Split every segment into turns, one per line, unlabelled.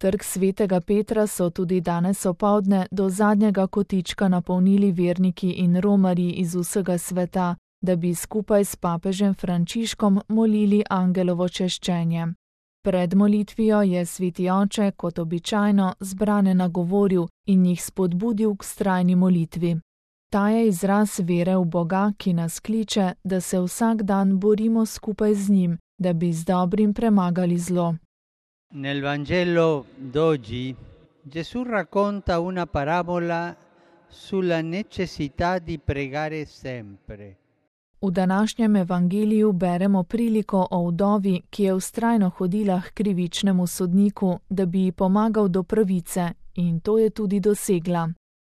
Trg svetega Petra so tudi danes opoldne do zadnjega kotička napolnili verniki in romarji iz vsega sveta, da bi skupaj s papežem Frančiškom molili angelovo češčenje. Pred molitvijo je sveti oče, kot običajno, zbrane nagovoril in jih spodbudil k vztrajni molitvi. Ta je izraz vere v Boga, ki nas kliče, da se vsak dan borimo skupaj z njim, da bi z dobrim premagali zlo.
Nel Vangelo d'oggi Gesù racconta una parabola sulla necessità di pregare sempre.
V današnjem evangeliju beremo priliko o vdovi, ki je vztrajno hodila k krivičnemu sodniku, da bi ji pomagal do pravice, in to je tudi dosegla.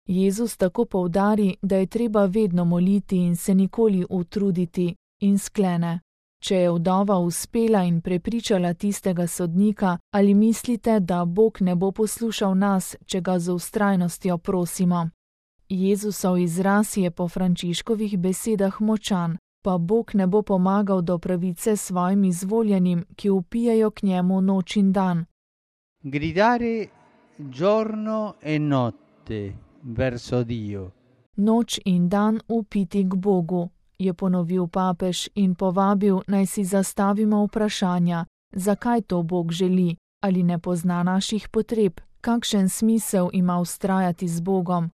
Jezus tako poudari, da je treba vedno moliti in se nikoli utruditi, in sklene: Če je vdova uspela in prepričala tistega sodnika, ali mislite, da Bog ne bo poslušal nas, če ga z vztrajnostjo prosimo? Jezusov izraz je po Frančiškovih besedah močan, pa Bog ne bo pomagal do pravice svojim izvoljenim, ki vpijejo k njemu noč in dan.
Gridare giorno e notte verso Dio.
Noč in dan vpiti k Bogu, je ponovil papež in povabil, naj si zastavimo vprašanja, zakaj to Bog želi, ali ne pozna naših potreb, kakšen smisel ima vztrajati z Bogom.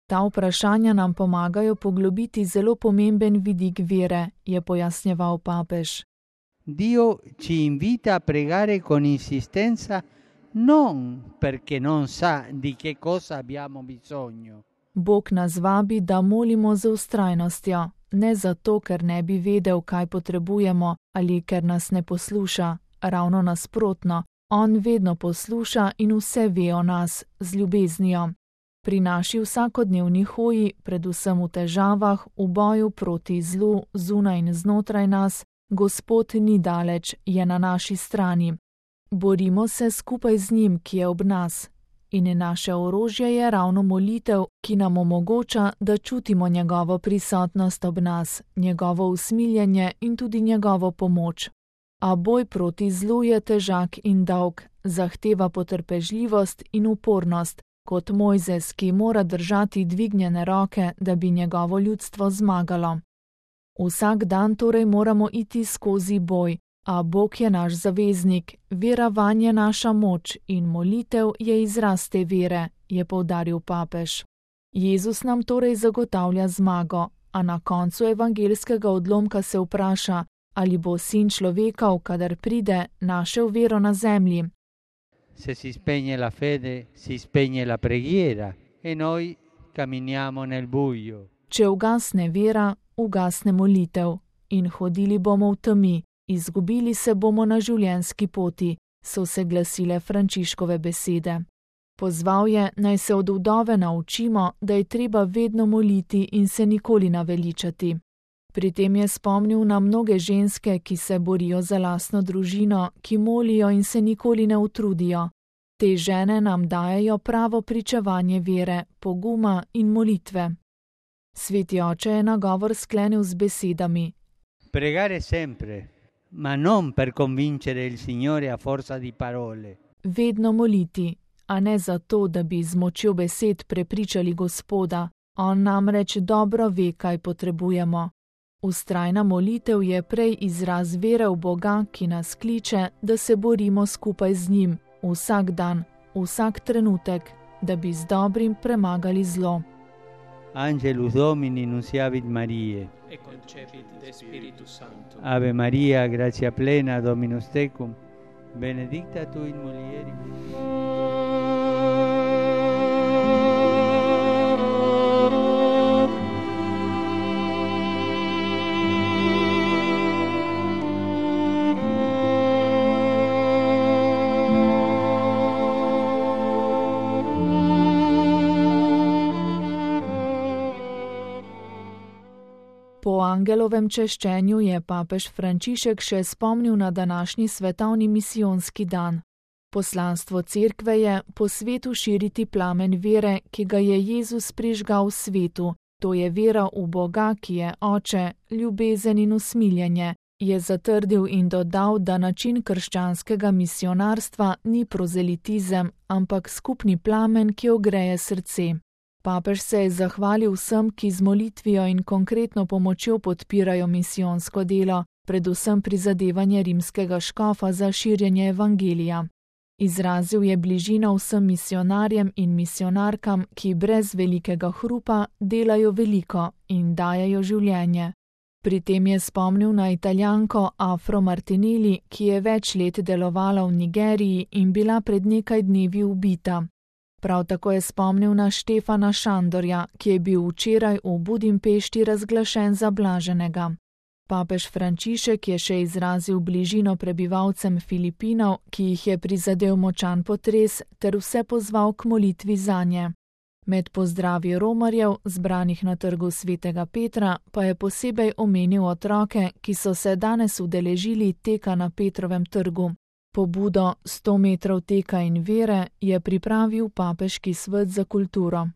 Ta vprašanja nam pomagajo poglobiti zelo pomemben vidik vere, je pojasnjeval papež.
Dio ci invita a pregare con insistenza non perché non sa di che cosa abbiamo bisogno.
Bog nas vabi, da molimo z vztrajnostjo, ne zato, ker ne bi vedel, kaj potrebujemo ali ker nas ne posluša, ravno nasprotno, on vedno posluša in vse ve o nas z ljubeznijo. Pri naši vsakodnevni hoji, predvsem v težavah, v boju proti zlu, zunaj in znotraj nas, Gospod ni daleč, je na naši strani. Borimo se skupaj z njim, ki je ob nas. In naše orožje je ravno molitev, ki nam omogoča, da čutimo njegovo prisotnost ob nas, njegovo usmiljenje in tudi njegovo pomoč. A boj proti zlu je težak in dolg, zahteva potrpežljivost in upornost, kot Mojzes, ki mora držati dvignjene roke, da bi njegovo ljudstvo zmagalo. Vsak dan torej moramo iti skozi boj, a Bog je naš zaveznik, vera vanj je naša moč in molitev je izraz te vere, je poudaril papež. Jezus nam torej zagotavlja zmago, a na koncu evangelskega odlomka se vpraša, ali bo sin človekov, kadar pride, našel vero na zemlji.
Se si spegne la fede, si spegne la preghiera e noi camminiamo nel buio.
Če ugasne vera, ugasne molitev in hodili bomo v temi, izgubili se bomo na življenjski poti, so se glasile Frančiškove besede. Pozval je, naj se od vdove naučimo, da je treba vedno moliti in se nikoli naveličati. Pri tem je spomnil na mnoge ženske, ki se borijo za lastno družino, ki molijo in se nikoli ne utrudijo. Te žene nam dajejo pravo pričevanje vere, poguma in molitve. Sveti oče je nagovor sklenil z besedami:
Pregare sempre, ma non per convincere il Signore a forza di parole.
Vedno moliti, a ne zato, da bi z močjo besed prepričali Gospoda. On namreč dobro ve, kaj potrebujemo. Vztrajna molitev je prej izraz vere v Boga, ki nas kliče, da se borimo skupaj z njim, vsak dan, vsak trenutek, da bi z dobrim premagali zlo.
Angelus Domini nunciavit Mariae.
E concepit de Spiritus Sancto.
Ave Maria, gratia plena, Dominus tecum, benedicta tu in mulieribus.
Po angelovem češčenju je papež Frančišek še spomnil na današnji svetovni misijonski dan. Poslanstvo cerkve je po svetu širiti plamen vere, ki ga je Jezus prižgal v svetu. To je vera v Boga, ki je Oče, ljubezen in usmiljenje, je zatrdil in dodal, da način krščanskega misionarstva ni prozelitizem, ampak skupni plamen, ki ogreje srce. Papež se je zahvalil vsem, ki z molitvijo in konkretno pomočjo podpirajo misijonsko delo, predvsem prizadevanje rimskega škofa za širjenje evangelija. Izrazil je bližino vsem misionarjem in misionarkam, ki brez velikega hrupa delajo veliko in dajejo življenje. Pri tem je spomnil na Italijanko Afro Martinelli, ki je več let delovala v Nigeriji in bila pred nekaj dnevi ubita. Prav tako je spomnil na Štefana Šandorja, ki je bil včeraj v Budimpešti razglašen za blaženega. Papež Frančišek je še izrazil bližino prebivalcem Filipinov, ki jih je prizadel močan potres, ter vse pozval k molitvi zanje. Med pozdravi romarjev, zbranih na trgu Svetega Petra, pa je posebej omenil otroke, ki so se danes udeležili teka na Petrovem trgu. Pobudo 100 metrov teka in vere je pripravil Papeški svet za kulturo.